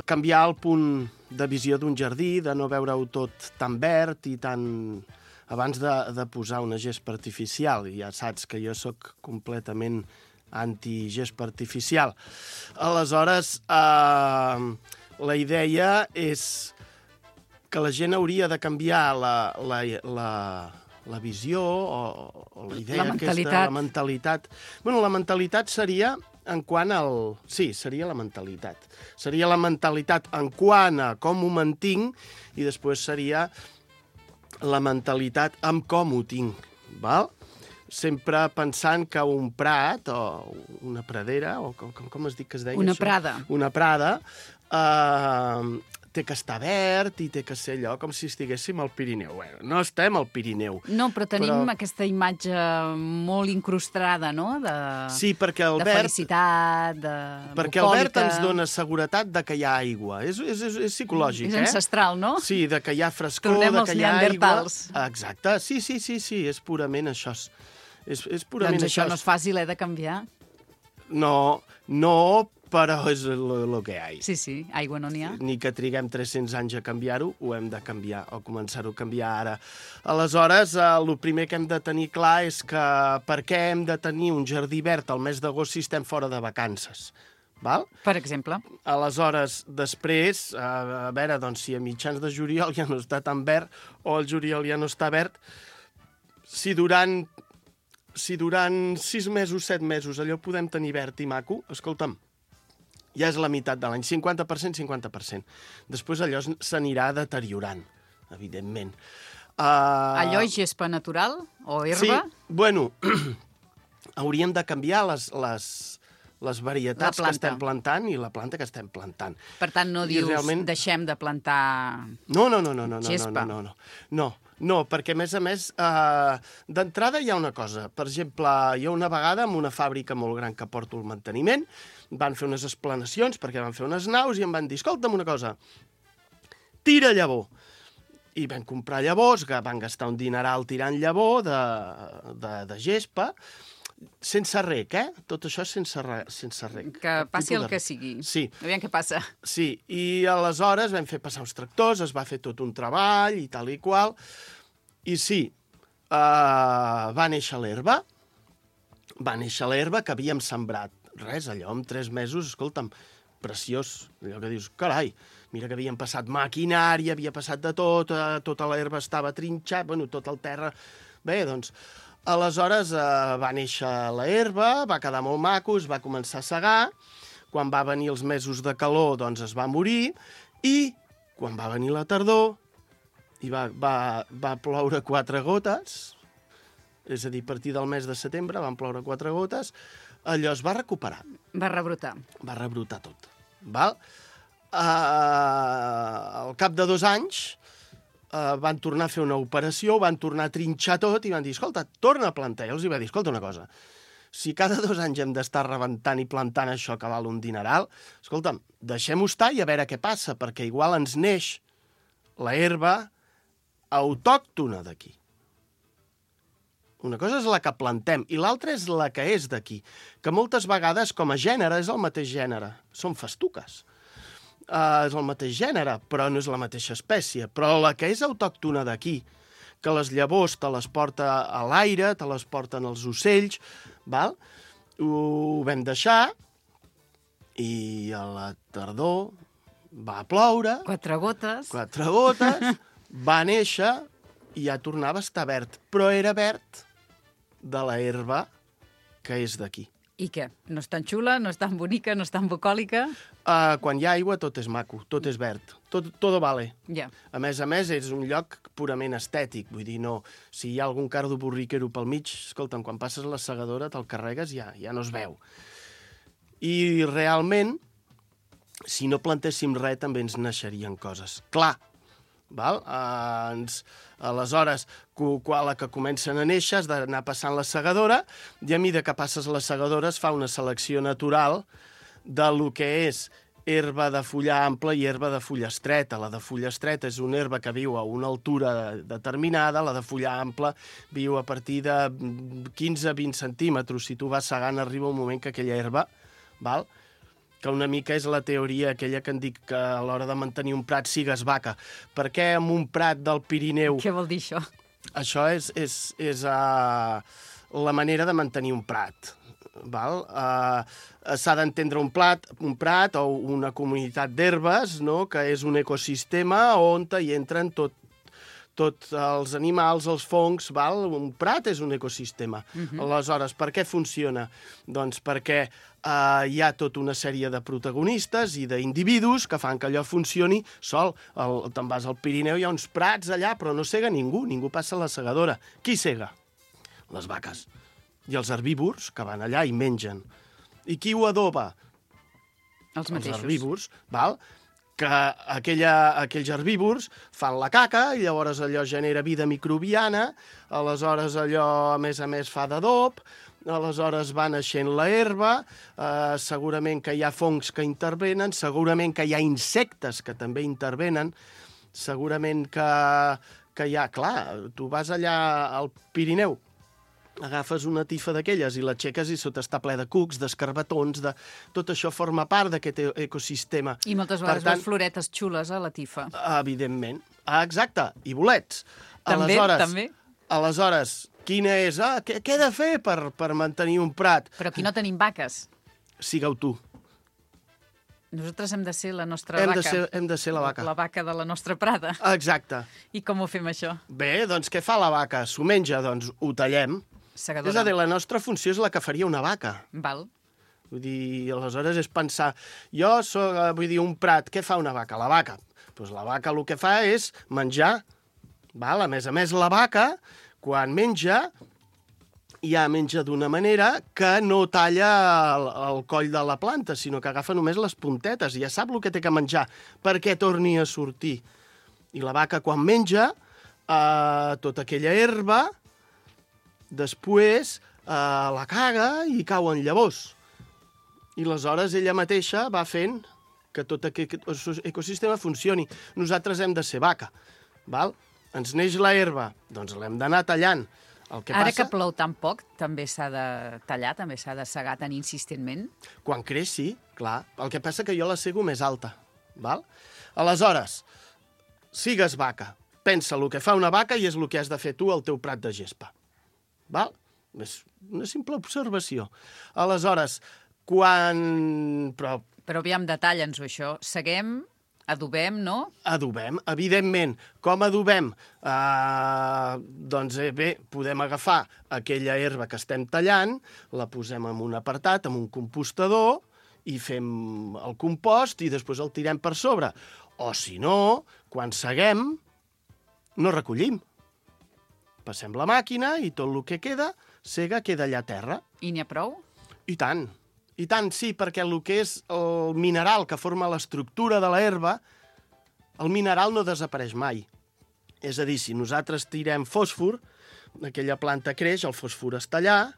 canviar el punt de visió d'un jardí, de no veure-ho tot tan verd i tan... abans de posar una gespa artificial. I ja saps que jo sóc completament anti-gespa artificial. Aleshores, la idea és que la gent hauria de canviar la visió o la idea aquesta, la mentalitat. Bueno, la mentalitat seria en quant al... Sí, seria la mentalitat. Seria la mentalitat en quant a com ho mantinc i després seria la mentalitat amb com ho tinc, val? sempre pensant que un prat o una pradera, o com es diu que es deia Una això? prada. Una prada, té que estar verd i té que ser allò com si estiguéssim al Pirineu. Bueno, no estem al Pirineu. No, però tenim aquesta imatge molt incrustada, no? Sí, perquè el de verd... felicitat, de Perquè el verd bucòlica. ens dona seguretat de que hi ha aigua. És psicològic, És ancestral, no? Sí, de que hi ha frescor, Tornem de als que hi ha aigua. neandertals. Exacte, sí, és purament això. És purament Doncs això no és fàcil, de canviar. No, però és el que hi ha. Sí, aigua no n'hi ha. Ni que triguem 300 anys a canviar-ho, ho hem de canviar, o començar-ho a canviar ara. Aleshores, el primer que hem de tenir clar és que per què hem de tenir un jardí verd al mes d'agost si estem fora de vacances. Val? Per exemple. Aleshores, després, a veure, doncs, si a mitjans de juliol ja no està tan verd, o el juliol ja no està verd, si durant 6 mesos, 7 mesos, allò podem tenir verd i maco, escolta'm, ja és la meitat de l'any, 50%, 50%. Després allò s'anirà deteriorant, evidentment. Allò és gespa natural o herba? Sí, bueno, hauríem de canviar les varietats que estem plantant i la planta que estem plantant. Per tant, no dius deixem de plantar gespa? No, perquè, a més, d'entrada hi ha una cosa. Per exemple, hi ha una vegada en una fàbrica molt gran que porto el manteniment, van fer unes explanacions perquè van fer unes naus i em van dir, escolta'm una cosa, tira llavor. I vam comprar llavors, que van gastar un dineral tirant llavor de gespa, sense rec, Tot això sense rec. Que passi el que sigui. Sí. Aviam què passa. Sí, i aleshores vam fer passar uns tractors, es va fer tot un treball i tal i qual, i sí, va néixer l'herba que havíem sembrat. Res, allò, en 3 mesos, escolta'm, preciós. Allò que dius, carai, mira que havien passat maquinària, havia passat de tot, tota l'herba estava trinxat, bueno, tot el terra... Bé, doncs, aleshores va néixer l'herba, va quedar molt maco, es va començar a segar, quan va venir els mesos de calor, doncs es va morir, i quan va venir la tardor, i va ploure 4 gotes, és a dir, a partir del mes de setembre van ploure 4 gotes, allò es va recuperar. Va rebrotar. Va rebrotar tot. Val? Al cap de 2 anys van tornar a fer una operació, van tornar a trinxar tot i van dir, escolta, torna a plantar. I els va dir, escolta una cosa, si cada 2 anys hem d'estar rebentant i plantant això que val un dineral, escolta'm, deixem-ho estar i a veure què passa, perquè igual ens neix la herba autòctona d'aquí. Una cosa és la que plantem i l'altra és la que és d'aquí, que moltes vegades com a gènere és el mateix gènere, són festuques. És el mateix gènere, però no és la mateixa espècie. Però la que és autòctona d'aquí, que les llavors te les porta a l'aire, te les porten els ocells, val? Ho vam deixar i a la tardor va ploure. 4 gotes. 4 gotes, va néixer i ja tornava a estar verd, però era verd de la herba que és d'aquí. I què? No és tan xula, no és tan bonica, no és tan bucòlica? Quan hi ha aigua tot és maco, tot és verd, tot vale. Ja. A més, és un lloc purament estètic, vull dir, no, si hi ha algun cardo borriquero pel mig, escolta'm, quan passes la segadora te'l carregues ja no es veu. I realment, si no plantéssim res, també ens naixerien coses. Clar, val? Aleshores, quan la que comencen a néixer has d'anar passant la segadora i a mesura que passes la segadora es fa una selecció natural de lo que és herba de fulla ampla i herba de fulla estreta. La de fulla estreta és una herba que viu a una altura determinada, la de fulla ampla viu a partir de 15-20 centímetres. Si tu vas segant, arriba un moment que aquella herba, val?, que una mica és la teoria aquella que en dic que a l'hora de mantenir un prat sigues vaca. Per què en un prat del Pirineu... Què vol dir això? Això és la manera de mantenir un prat. Val? S'ha d'entendre un prat o una comunitat d'herbes, no?, que és un ecosistema on hi entren tots els animals, els fongs, val? Un prat és un ecosistema. Aleshores, per què funciona? Doncs perquè hi ha tota una sèrie de protagonistes i d'individus que fan que allò funcioni sol. Te'n vas al Pirineu, hi ha uns prats allà, però no sega ningú passa la segadora. Qui sega? Les vaques. i els herbívors que van allà i mengen. I qui ho adoba? Els mateixos. Els herbívors, val? Que aquells herbívors fan la caca i llavors allò genera vida microbiana, aleshores allò, a més, fa d'adob, aleshores va naixent la herba, segurament que hi ha fongs que intervenen, segurament que hi ha insectes que també intervenen, segurament que hi ha... Clar, tu vas allà al Pirineu, agafes una tifa d'aquelles i l'aixeques i sota està ple de cucs, d'escarbatons, de... tot això forma part d'aquest ecosistema. I moltes vegades veus floretes xules a la tifa. Evidentment. Exacte, i bolets. També, també. Aleshores, quina és? Què he de fer per mantenir un prat? Però aquí no tenim vaques. Sigueu tu. Nosaltres hem de ser la nostra vaca. Hem de ser la vaca. La vaca de la nostra prada. Exacte. I com ho fem, això? Bé, doncs què fa la vaca? S'ho menja, doncs ho tallem. Segadora. És a dir, la nostra funció és la que faria una vaca. Val. Vull dir, aleshores és pensar, jo soc, un prat, què fa una vaca? La vaca. Doncs la vaca el que fa és menjar. Val? A més, la vaca, quan menja, ja menja d'una manera que no talla el coll de la planta, sinó que agafa només les puntetes i ja sap el que té que menjar perquè torni a sortir. I la vaca, quan menja, tota aquella herba, després la caga i cauen llavors. I aleshores ella mateixa va fent que tot aquest ecosistema funcioni. Nosaltres hem de ser vaca. Val? Ens neix la herba, doncs l'hem d'anar tallant. Ara que plou tan poc, també s'ha de tallar, també s'ha de segar tan insistentment? Quan creix, sí, clar. El que passa que jo la sego més alta. Val? Aleshores, sigues vaca. Pensa el que fa una vaca i és el que has de fer tu al teu prat de gespa. Val? És una simple observació. Aleshores, quan... Però aviam, detalla'ns-ho, això. Seguem... Adobem, no? Adobem, evidentment. Com adobem? Doncs bé, podem agafar aquella herba que estem tallant, la posem en un apartat, en un compostador, i fem el compost i després el tirem per sobre. O, si no, quan seguem, no recollim. Passem la màquina i tot el que queda, queda allà a terra. I n'hi ha prou? I tant. I tant, sí, perquè el que és el mineral que forma l'estructura de la herba, el mineral no desapareix mai. És a dir, si nosaltres tirem fòsfor, aquella planta creix, el fòsfor està allà,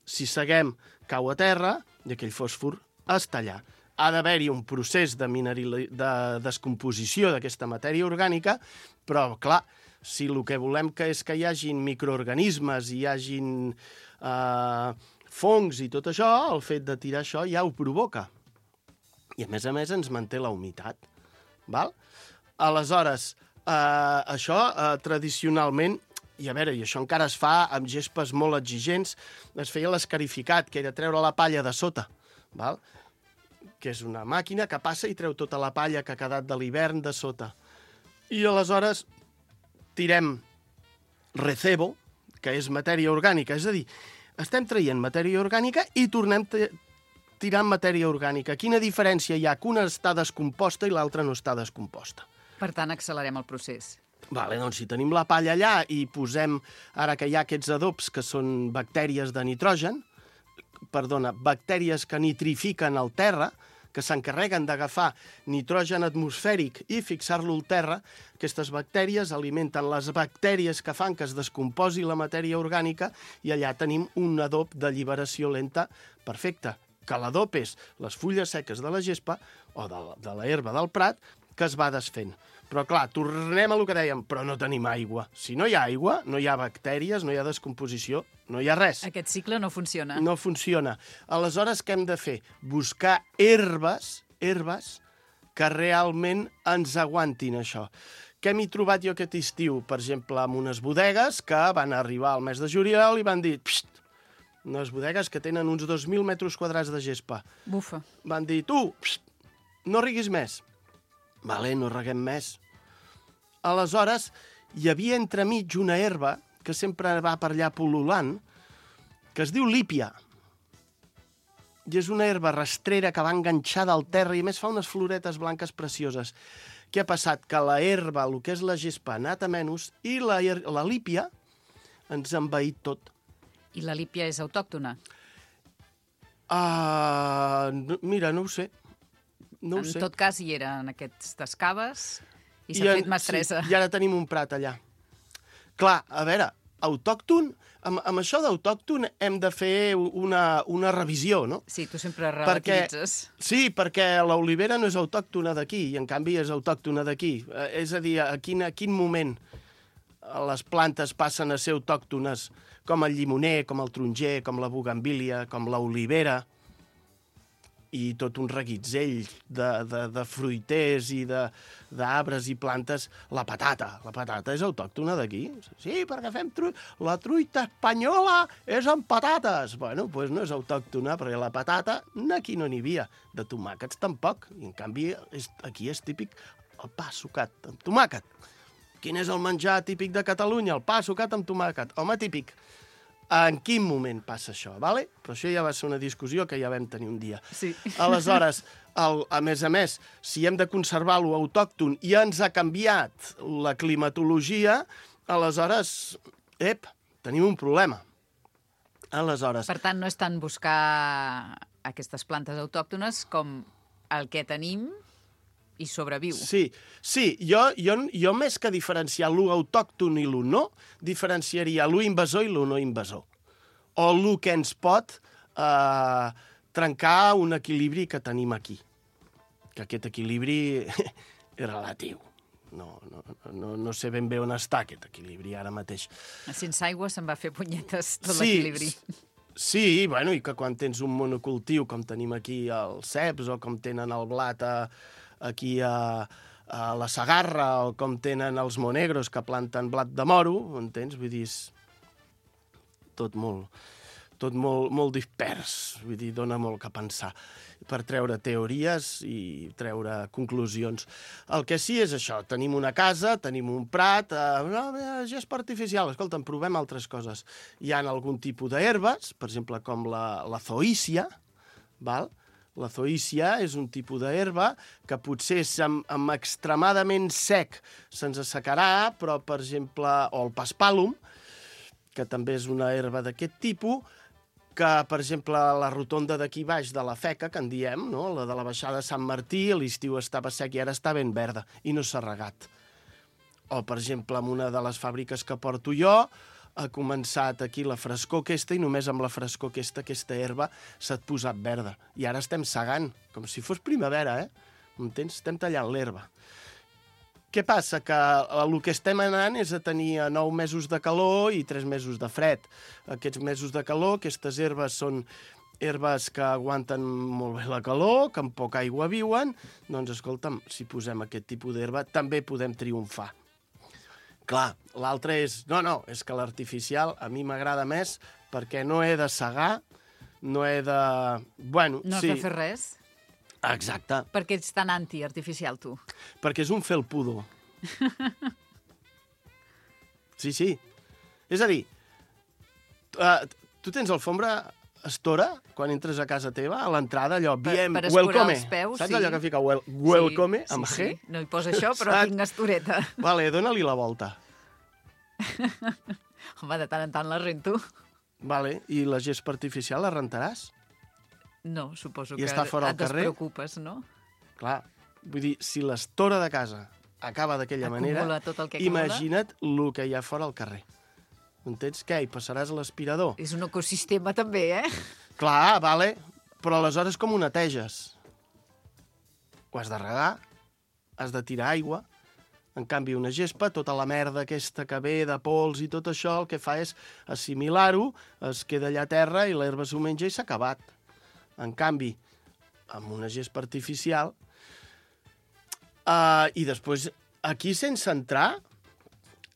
si seguem, cau a terra, i aquell fòsfor està allà. Ha d'haver-hi un procés de descomposició d'aquesta matèria orgànica, però, clar, si el que volem és que hi hagin microorganismes, hi hagin fongs i tot això, el fet de tirar això ja ho provoca. I, a més, ens manté la humitat. Val? Aleshores, això tradicionalment, i a veure, i això encara es fa amb gespes molt exigents, es feia l'escarificat, que era treure la palla de sota. Val? Que és una màquina que passa i treu tota la palla que ha quedat de l'hivern de sota. I aleshores tirem recebo, que és matèria orgànica, és a dir, estem traient matèria orgànica i tornem tirant matèria orgànica. Quina diferència hi ha? Que una està descomposta i l'altra no està descomposta. Per tant, accelerem el procés. Vale, doncs si tenim la palla allà i posem, ara que hi ha aquests adobs que són bactèries de nitrogen, bactèries que nitrifiquen el terra, que s'encarreguen d'agafar nitrogen atmosfèric i fixar-lo al terra, aquestes bactèries alimenten les bactèries que fan que es descomposi la matèria orgànica i allà tenim un adob d'alliberació lenta perfecte, que l'adob és les fulles seques de la gespa o de la herba del prat que es va desfent. Però, clar, tornem a lo que dèiem, però no tenim aigua. Si no hi ha aigua, no hi ha bactèries, no hi ha descomposició, no hi ha res. Aquest cicle no funciona. No funciona. Aleshores, què hem de fer? Buscar herbes que realment ens aguantin això. Què m'he trobat jo aquest estiu? Per exemple, amb unes bodegues que van arribar al mes de juliol i van dir... Psst, unes bodegues que tenen uns 2.000 metres quadrats de gespa. Bufa. Van dir, tu, psst, no riguis més. Vale, no reguem més. Aleshores, hi havia entremig una herba que sempre va per allà pol·lulant, que es diu lípia. I és una herba rastrera que va enganxada al terra i a més fa unes floretes blanques precioses. Què ha passat? Que la herba, el que és la gespa, ha anat a menys i la lípia ens ha envaït tot. I la lípia és autòctona? Mira, no ho sé. No ho sé. En tot cas, hi era en aquestes caves i s'ha fet mestressa. Sí, i ara tenim un prat allà. Clar, a veure, autòcton, amb això d'autòcton hem de fer una revisió, no? Sí, tu sempre relativitzes. Sí, perquè l'olivera no és autòctona d'aquí, i en canvi és autòctona d'aquí. És a dir, a quin moment les plantes passen a ser autòctones, com el llimoner, com el taronger, com la bugambília, com l'olivera, i tot un reguitzell de fruiters i d'arbres i plantes. La patata és autòctona d'aquí. Sí, perquè fem la truita espanyola és amb patates. Bueno, doncs no és autòctona, perquè la patata aquí no n'hi havia. De tomàquets tampoc. I en canvi, aquí és típic el pa sucat amb tomàquet. Quin és el menjar típic de Catalunya? El pa sucat amb tomàquet. Home, típic. En quin moment passa això, vale? Però això ja va ser una discussió que ja vam tenir un dia. Sí. Aleshores, a més, si hem de conservar-lo autòcton i ens ha canviat la climatologia, aleshores, tenim un problema. Aleshores... Per tant, no és tant buscar aquestes plantes autòctones com el que tenim i sobreviu. Sí, jo més que diferenciar lo autòcton i lo no, diferenciaria lo invasor i lo no invasor. O lo que ens pot trencar un equilibri que tenim aquí. Que aquest equilibri és relatiu. No sé ben bé on està aquest equilibri ara mateix. Sense aigua se'n va fer punyetes tot l'equilibri. Sí, bueno, i que quan tens un monocultiu, com tenim aquí els ceps, o com tenen el blat aquí a la Segarra, o com tenen els monegros que planten blat de moro, entens? Vull dir, tot molt dispers, vull dir, dona molt que pensar per treure teories i treure conclusions. El que sí és això, tenim una casa, tenim un prat, gespa artificial, escolta'm, provem altres coses. Hi ha algun tipus d'herbes, per exemple, com la zoícia, val? La zoícia és un tipus d'herba que potser amb extremadament sec se'ns assecarà, però, per exemple, o el paspàlum, que també és una herba d'aquest tipus, que, per exemple, la rotonda d'aquí baix de la Feca, que en diem, no? La de la baixada de Sant Martí, a l'estiu estava sec i ara està ben verda i no s'ha regat. O, per exemple, en una de les fàbriques que porto jo, ha començat aquí la frescor aquesta i només amb la frescor aquesta herba s'ha posat verda. I ara estem segant, com si fos primavera, M'entens? Estem tallant l'herba. Què passa? Que el que estem anant és a tenir 9 mesos de calor i 3 mesos de fred. Aquests mesos de calor, aquestes herbes són herbes que aguanten molt bé la calor, que amb poca aigua viuen, doncs, escolta'm, si posem aquest tipus d'herba també podem triomfar. Clar, l'altre és... No, és que l'artificial a mi m'agrada més perquè no he de segar, no he de... Bueno, no has de fer res? Exacte. Per què ets tan anti-artificial, tu? Perquè és un felpudo. Sí. És a dir, tu tens alfombra estora quan entres a casa teva, a l'entrada, allò, per welcome. Els peus, saps allò que fica welcome, amb G? Sí. No hi posa això, però tinc estoreta. Vale, dóna-li la volta. Home, de tant en tant la rento. Vale, i la gespa artificial la rentaràs? No, suposo que et despreocupes, no? Clar, vull dir, si l'estora de casa acaba d'aquella manera, imagina't el que hi ha fora al carrer. Entens? Què? Hi passaràs a l'aspirador? És un ecosistema també, Clar, vale, però aleshores com ho neteges? Ho has de regar, has de tirar aigua. En canvi, una gespa, tota la merda aquesta que ve de pols i tot això, el que fa és assimilar-ho, es queda allà a terra i l'herba s'ho menja i s'ha acabat. En canvi, amb una gespa artificial, i després, aquí sense entrar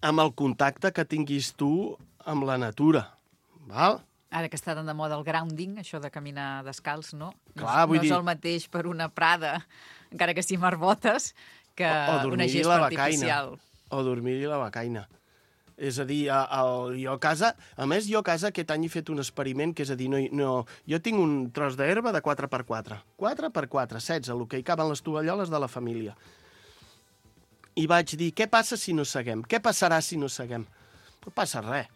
amb el contacte que tinguis tu amb la natura, val? Ara que està tan de moda el grounding, això de caminar descalç, no? Clar, no és el mateix per una prada, encara que sí amb arbotes, que una gespa artificial. O dormir-hi la becaina. És a dir, jo a casa... A més, jo a casa aquest any he fet un experiment, que és a dir, jo tinc un tros d'herba de 4x4. 4x4, 16, el que hi caben les tovalloles de la família. I vaig dir, què passa si no seguem? Què passarà si no seguem? No passa res.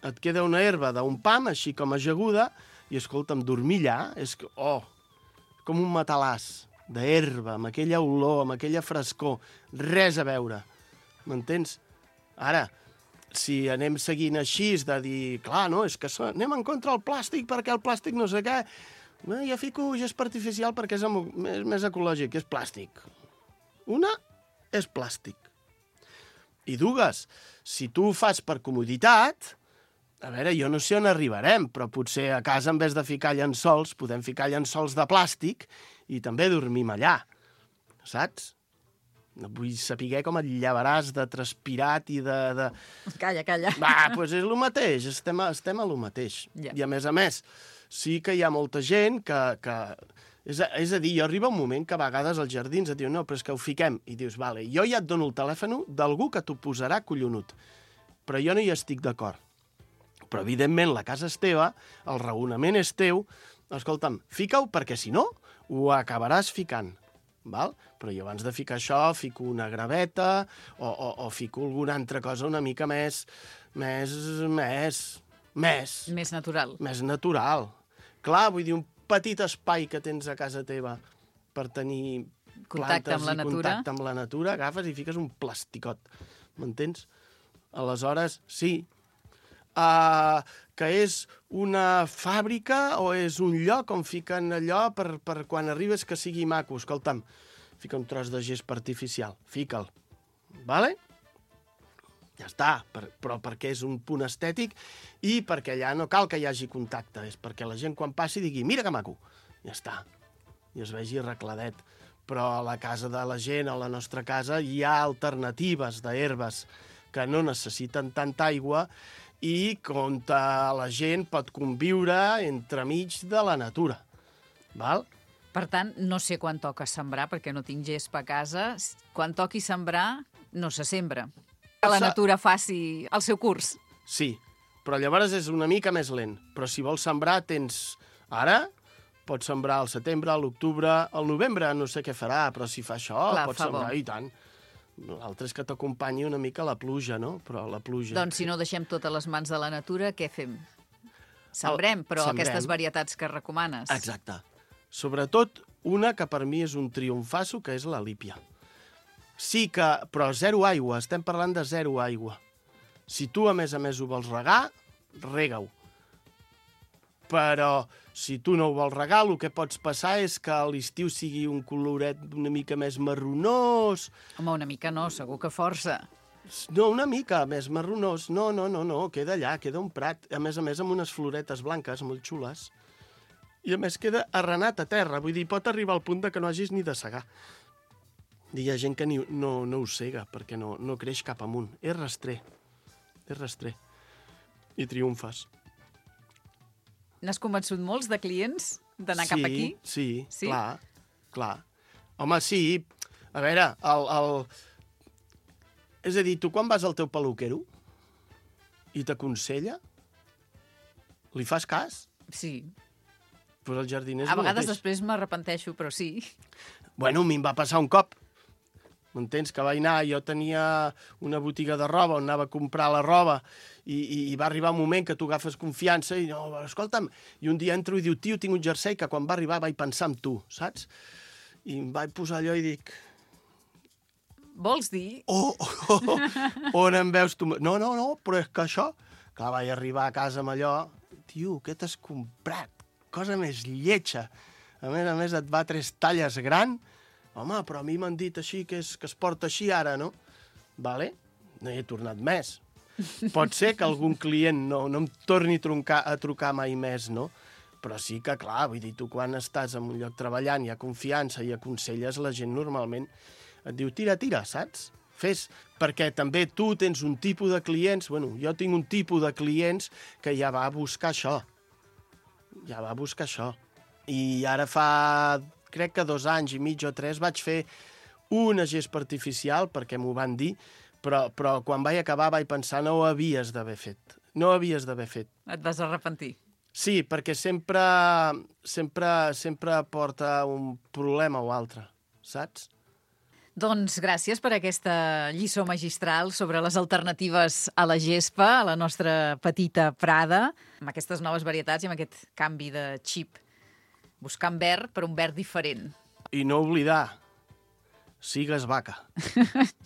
et queda una herba d'un pam, així com ajaguda, i escolta'm, dormir allà és com un matalàs d'herba, amb aquella olor, amb aquella frescor, res a veure. M'entens? Ara, si anem seguint així, de dir, clar, no, és que anem en contra del plàstic perquè el plàstic no sé què, jo fico gespa artificial perquè és més ecològic, és plàstic. Una és plàstic. I dues, si tu ho fas per comoditat, a veure, jo no sé on arribarem, però potser a casa, en vez de ficar llençols, podem ficar llençols de plàstic i també dormim allà, saps? Vull saber com et llevaràs de transpirat i de... Calla. Doncs és el mateix, estem a lo mateix. Ja. I a més, sí que hi ha molta gent que... És a dir, jo arriba un moment que a vegades als jardins et diuen no, però és que ho fiquem. I dius, vale, jo ja et dono el telèfon d'algú que t'ho posarà collonut. Però jo no hi estic d'acord. Però, evidentment, la casa és teva, el raonament és teu. Escolta'm, fica-ho perquè, si no, ho acabaràs ficant. Val? Però jo abans de ficar això fico una graveta o fico alguna altra cosa una mica més natural. Més natural. Clar, vull dir, un petit espai que tens a casa teva per tenir contacte plantes amb la i natura. contacte amb la natura, agafes i fiques un plasticot. M'entens? Aleshores, sí. Que és una fàbrica o és un lloc on fiquen allò per quan arribes que sigui maco. Escolta'm, fica un tros de gespa artificial, fica'l. Vale? Ja està, però perquè és un punt estètic i perquè allà no cal que hi hagi contacte, és perquè la gent quan passi digui mira que maco, ja està, i es vegi arregladet. Però a la casa de la gent, a la nostra casa, hi ha alternatives d'herbes que no necessiten tanta aigua i on la gent pot conviure entremig de la natura. Val? Per tant, no sé quan toca sembrar, perquè no tinc gespa a casa. Quan toqui sembrar, no se sembra. Que la natura faci el seu curs. Sí, però llavors és una mica més lent. Però si vols sembrar, tens... Ara pots sembrar al setembre, a l'octubre, al novembre, no sé què farà, però si fa això, clar, pots sembrar i tant. L'altre és que t'acompanyi una mica la pluja, no? Però la pluja... Doncs si no deixem totes les mans de la natura, què fem? Sembrem, però aquestes varietats que recomanes. Exacte. Sobretot una que per mi és un triomfasso, que és la lípia. Sí que... Però zero aigua, estem parlant de zero aigua. Si tu, a més ho vols regar, rega-ho. Però si tu no ho vols regar, el que pots passar és que a l'estiu sigui un coloret una mica més marronós. Home, una mica no, segur que força. No, una mica més marronós. No, queda allà, queda un prat. A més, amb unes floretes blanques molt xules. I a més queda arrenat a terra. Vull dir, pot arribar al punt de que no hagis ni de segar. Hi ha gent que no ho sega perquè no creix cap amunt. És rastrer. I triomfes. N'has convençut molts de clients d'anar cap aquí? Sí, clar. Home, sí. A veure, és a dir, tu quan vas al teu peluquero i t'aconsella, li fas cas? Sí. Pues el jardiner és a vegades mateix. després m'arrepenteixo, però sí. Bueno, a mi em va passar un cop. M'entens? Que vaig anar, jo tenia una botiga de roba on anava a comprar la roba i va arribar un moment que tu agafes confiança i no, escolta'm, i un dia entro i diu, tio, tinc un jersei que quan va arribar vaig pensar en tu, saps? I em vaig posar allò i dic... Vols dir? On em veus tu? No, però és que això... Clar, vaig arribar a casa amb allò, tio, què t'has comprat? Cosa més lletja. A més, et va 3 talles gran. Home, però a mi m'han dit així que es porta així ara, no? Vale, no hi he tornat més. Pot ser que algun client no em torni a trucar mai més, no? Però sí que, clar, vull dir, tu quan estàs en un lloc treballant, hi ha confiança i aconselles la gent normalment, et diu, tira, saps? Fes, perquè també tu tens un tipus de clients, bueno, jo tinc un tipus de clients que ja va a buscar això. I ara fa... crec que 2 anys i mig o 3 vaig fer una gespa artificial, perquè m'ho van dir, però quan vaig acabar vaig pensar no ho havies d'haver fet. Et vas arrepentir. Sí, perquè sempre porta un problema o altre, saps? Doncs gràcies per aquesta lliçó magistral sobre les alternatives a la gespa, a la nostra petita prada, amb aquestes noves varietats i amb aquest canvi de xip. Buscant verd per un verd diferent. I no oblidar, sigues vaca.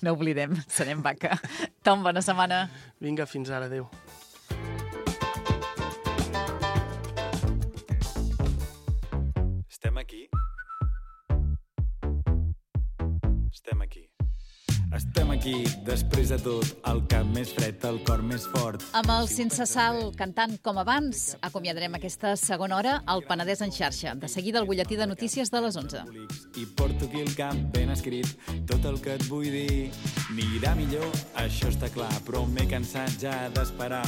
No oblidem, serem vaca. Tom, bona setmana. Vinga, fins ara, adéu. Estem aquí. Estem aquí. Estem aquí, després de tot, el cap més fred, el cor més fort. Amb el Sense Sal cantant com abans, acomiadarem aquesta segona hora al Penedès en xarxa. De seguida, el butlletí de notícies de les 11. I porto aquí el cap ben escrit, tot el que et vull dir. Anirà millor, això està clar, però m'he cansat ja d'esperar.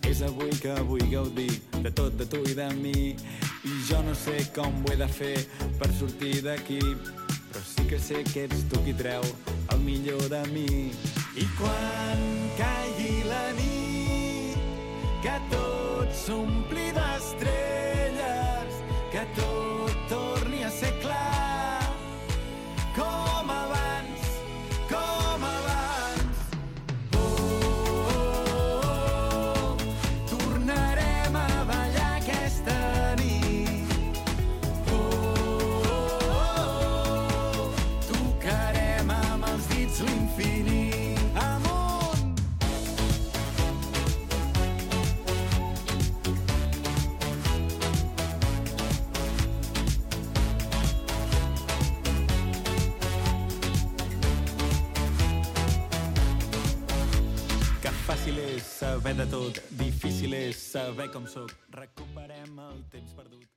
És avui que vull gaudir de tot, de tu i de mi. I jo no sé com ho he de fer per sortir d'aquí, però sí que sé que ets tu qui treu el millor de mi. I quan caigui la nit, que tot s'ompli d'estrelles, que tot torni a ser clar, com abans, com abans. Oh, tornarem a ballar aquesta nit. Tocarem amb els dits l'infinit. Amunt! Que fàcil és saber de tot, difícil és saber com sóc. Recuperem el temps perdut.